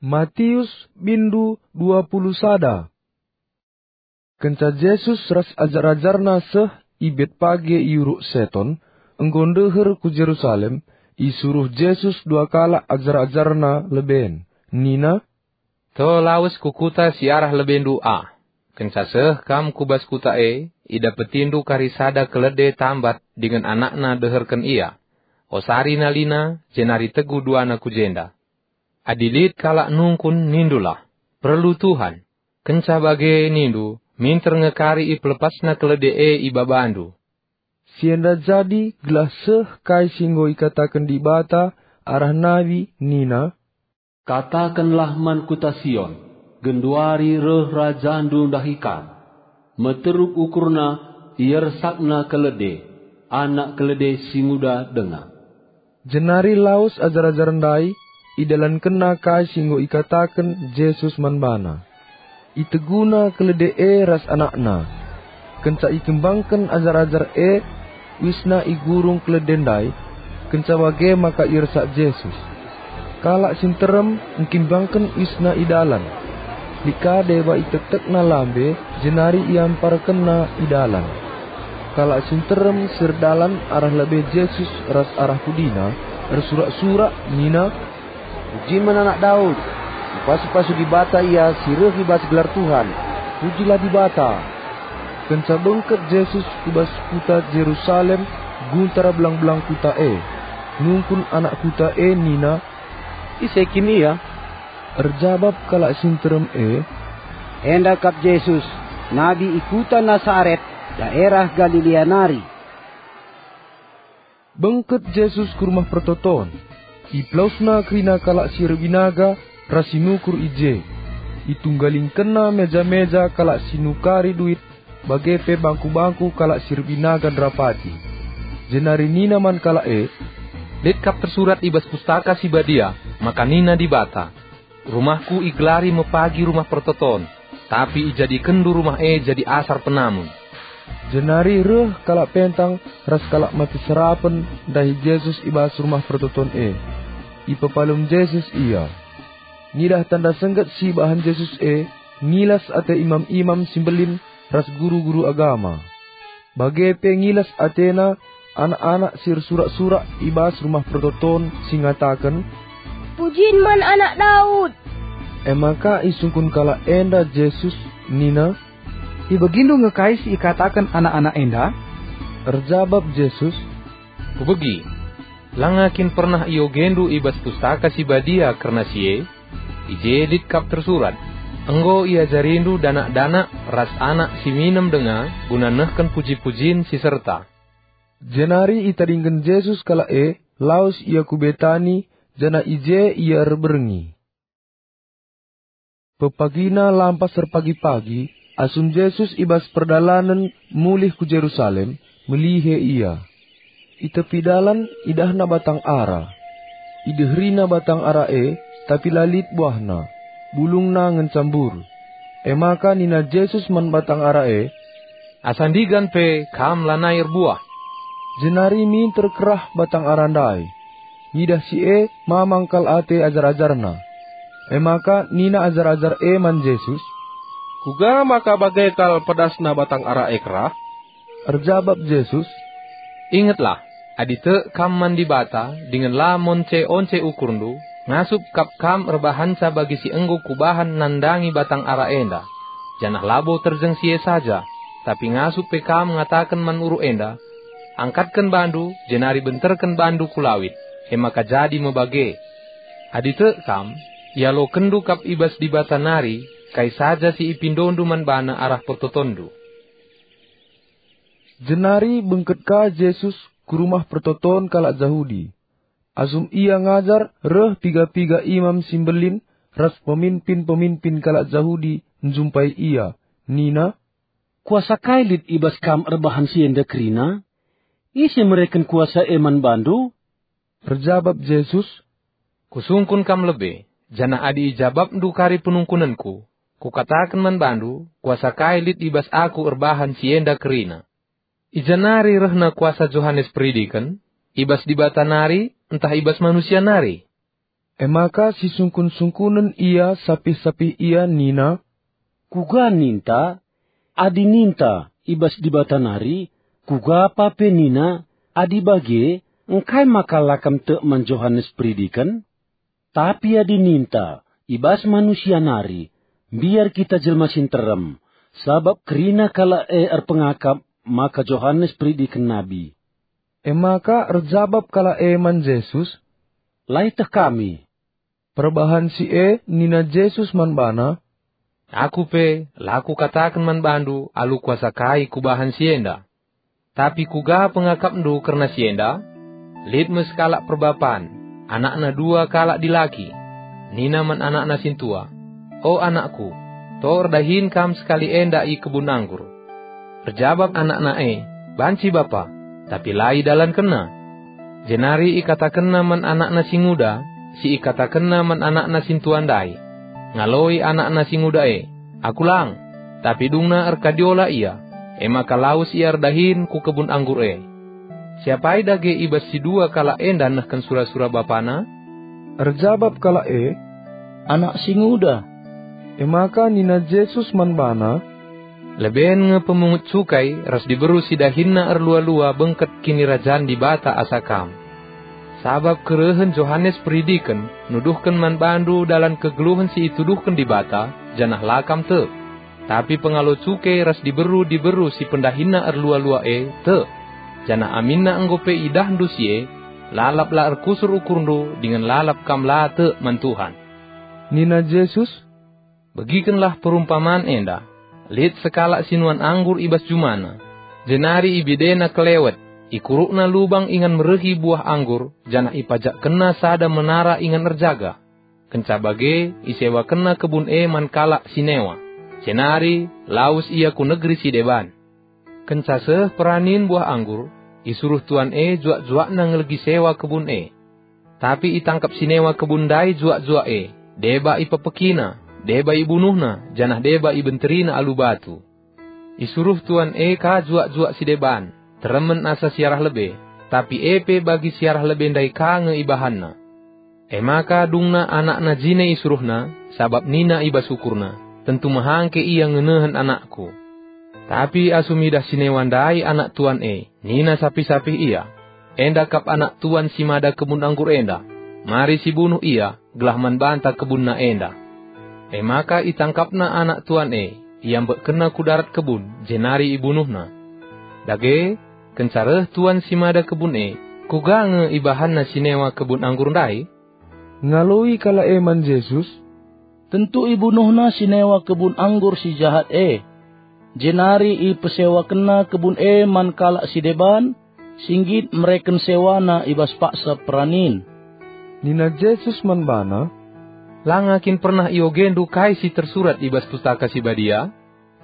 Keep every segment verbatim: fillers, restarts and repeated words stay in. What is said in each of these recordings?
Matius bindu dua puluh sada. Kenca Jesus ras ajar-ajarNa seh i Betpage i Uruk Seton, enggo ndeher ku Jerusalem, isuruh Jesus dua kalak ajar-ajarNa leben. Nina, "To lawes ku kuta si arah lebendu ah. Kenca seh kam ku bas kuta e, idapetindu kari sada kelede tambat dingen anakna deherken ia. Osari nalina, jenari tegu duana ku jenda. Adi lit kalak nungkun, nindulah, 'Perlu Tuhan.' Kenca bage nindu, 'Minter nge kari ipelepasna kelede e i babandu.'" Si enda jadi gelah seh kai si enggo ikataken Dibata arah nabi nina, "Katakenlah man kuta Sion, 'Genduari reh Rajandu ndahi kam. Meteruk ukurna, iersakna kelede, anak kelede si nguda denga.'" Jenari lawes ajar-ajar ndai, idalankenna kai si enggo ikataken Jesus man bana. Iteguna kelede e ras anakna. Kenca ikembangken ajar-ajar e, uisna igurung kelede ndai, kenca bage maka iersak Jesus. Kalak si nterem engkimbangken uisna i dalan. Lit ka deba itektekna lambe, jenari iamparkenna i dalan. Kalak si nterem si erdalan arah lebe Jesus ras arah pudina, ersurak-surak nina, "Pujin man Anak Daud! Ipasu-pasu Dibata IA si reh i bas gelar Tuhan! Pujilah Dibata!" Kenca bengket Jesus ku bas kuta Jerusalem, guntar belang-belang kuta e. Nungkun anak kuta e nina, "Ise kin ia?" Erjabap kalak si nterem e, "Enda kap Jesus, nabi i kuta Nasaret, daerah Galilea nari." Bengket Jesus ku Rumah Pertoton. IpelawesNa kerina kalak si erbinaga ras si nukur i je. ItunggalingkenNa meja-meja kalak si nukari duit, bage pe bangku-bangku kalak si erbinaga nderapati. Jenari nina man kalak e, "Lit kap tersurat i bas Pustaka Si Badia maka nina Dibata, 'RumahKu igelari me pagi Rumah Pertoton,' tapi ijadikenndu rumah e jadi asar penamun." Jenari reh kalak pentang ras kalak mate serapen ndahi Jesus i bas Rumah Pertoton e. Ipepalem Jesus ia. Ngidah tanda sengget si ibahan Jesus e, ngilas ate imam-imam si mbelin ras guru-guru agama. Bage pe ngilas atena anak-anak si ersurak-surak i bas Rumah Pertoton si ngataken, "Pujin man Anak Daud!" E maka isungkun kalak enda Jesus nina, "Ibegindu nge kai si ikataken anak-anak enda?" Erjabap Jesus, "Kubegi. Langa kin pernah iogendu i bas Pustaka Si Badia kerna si e? I je lit kap tersurat, 'Enggo iajarindu danak-danak ras anak si minem denga guna nehken puji-pujin si serta.'" Jenari itadingken Jesus kalak e, lawes ia ku Betani, janah i je ia erberngi. Pepagina lampas erpagi-pagi, asum Jesus i bas perdalanen mulih ku Jerusalem, melihe ia. I tepi dalan idahna batang ara. Ideherina batang ara e, tapi la lit buahna, bulungna ngenca mbur. E maka nina Jesus man batang ara e, "Asa ndigan pe kam lanai erbuah." Jenari minter kerah batang ara ndai. Ngidah si e, mamang kal ate ajar-ajarNa. E maka nina ajar-ajar e man Jesus, "Kuga maka bage kal pedasna batang ara e kerah?" Erjabap Jesus, "Ingetlah, adi tek kam man Dibata dingen la monce-once ukurndu, ngasup kap kam erbahanca bagi si enggo Kubahan nandangi batang ara enda. Janah labo terjeng si e saja, tapi ngasup pe kam ngataken man uruk enda, 'Angkatken bandu, jenari benterken bandu ku lawit,' e maka jadi me bage. Adi tek kam, ialokenndu kap i bas Dibata nari kai saja si ipindondu man baNa arah pertotonndu." Jenari bengket ka Jesus ku rumah pertoton kalak Jahudi. Asum Ia ngajar, reh piga-piga imam si mbelin ras peminpin-peminpin kalak Jahudi njumpai Ia, nina, "Kuasa kai lit i bas Kam erbahan si enda kerina? Ise mereken kuasa e man baNdu?" Erjabap Jesus, "Kusungkun kam lebe, janah adi ijabapndu kari penungkunenKu, Kukataken man bandu, kuasa kai lit i bas Aku erbahan si enda kerina. I ja nari rehna kuasa Johanes Peridiken? I bas Dibata nari, ntah i bas manusia nari?" E maka sisungkun-sungkunen ia sapih-sapih ia nina, "Kuga ninta? Adi ninta, 'I bas Dibata nari,' kuga pa pe nina, 'Adi bage, engkai maka la kam tek man Johanes Peridiken?' Tapi adi ninta, 'I bas manusia nari,' mbiar kita jelma si nterem, sabap kerina kalak e erpengakap maka Johanes Peridiken nabi." E maka erjabap kalak e man Jesus, "La ieteh kami." Perbahan si e nina Jesus man bana, "Aku pe la kukataken man bandu alu kuasa kai kubahan si enda. Tapi kuga pengakapndu kerna si enda? Lit me sekalak perbapan, anakna dua kalak dilaki. Nina man anakna sintua, 'O anakku, to erdahin kam sekali enda i kebun anggur.' Erjabap anakna e, 'Banci, Bapa,' tapi la idalankenna. Jenari ikatakenna man anakna si nguda, si ikatakenna man anakna sintua ndai. Ngaloi anakna si nguda e, 'Aku lang.' Tapi dungna erkadiola ia, e maka lawes ia erdahin ku kebun anggur e. Siapai dage i bas si dua kalak enda nehken sura-sura bapana?" Erjabap kalak e, "Anak si nguda." E maka nina Jesus man bana, "Leben nge pemungut cukai ras diberu si dahinna erlua-lua bengket Kinirajan Dibata asa kam. Sabap kerehen Johanes Peridiken nuduhken man bandu dalan kegeluhen si ituduhken Dibata, janah la kam tek. Tapi pengalo cukai ras diberu-diberu si pendahinna erlua-lua e tek, janah aminna enggo pe idahndu si e, lalap la erkusur ukurndu dingen lalap kam la tek man Tuhan." Nina Jesus, "Begikenlah perumpaman enda. Lit sekalak si nuan anggur i bas jumana, jenari ibedena kelewet, ikurukna lubang ingan merehi buah anggur, janah ipajakkenna sada menara ingan erjaga. Kenca bage, isewakenna kebun e man kalak si newa, jenari lawes ia ku negeri si deban. Kenca seh peranin buah anggur, isuruh tuan e juak-juakna ngelegi sewa kebun e. Tapi itangkap si newa kebun ndai juak-juak e, deba ipepekina, deba ibunuhna, janah deba ibenterina alu batu. Isuruh tuan e ka juak-juak si deban, teremen asa siarah lebe, tapi e pe bagi siarah lebe ndai ka nge ibahanna. E maka dungna anakna jine isuruhna, sabap nina i bas ukurna, 'Tentu mehangke ia ngenehen anakku.' Tapi asum idah si newa ndai anak tuan e, nina sapih-sapih ia, 'Enda kap anak tuan si mada kebun anggur enda. Mari sibunuh ia, gelah man banta kebunna enda.' E maka itangkapna anak tuan e, iambekkenna ku darat kebun, jenari ibunuhna. Dage, kenca reh tuan si mada kebun e, kuga nge ibahanna si newa kebun anggur ndai?" Ngaloi kalak e man Jesus, "Tentu ibunuhna si newa kebun anggur si jahat e, jenari ipesewakenna kebun e man kalak si deban, si nggit mereken sewana i bas paksa peranin." Nina Jesus man bana, "La nga kin pernah iogendu kai si tersurat i bas Pustaka Si Badia?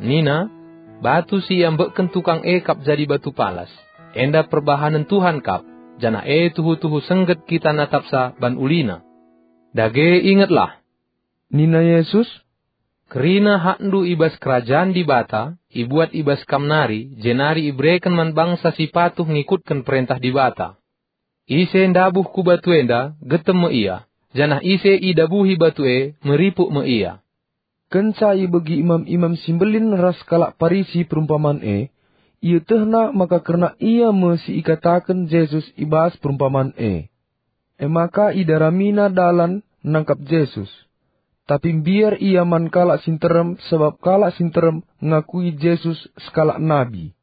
Nina, 'Batu si iambekken tukang e kap jadi batu palas. Enda perbahanen Tuhan kap, janah e tuhu-tuhu sengget kita natapsa ban ulina.' Dage ingetlah," nina Jesus, "kerina hakndu i bas Kerajan Dibata ibuat i bas kam nari, jenari ibereken man bangsa si patuh ngikutken perentah Dibata. Ise ndabuh ku batu enda, getem me ia, janah ise idabuhi batu e, meripuk me ia." Kenca ibegi imam-imam si mbelin ras kalak Parisi perumpaman e, ietehna maka kerna ia me si ikataken Jesus i bas perumpaman e. E maka idaramina dalan nangkap Jesus. Tapi mbiar ia man kalak si nterem, sabap kalak si nterem ngakui Jesus sekalak nabi.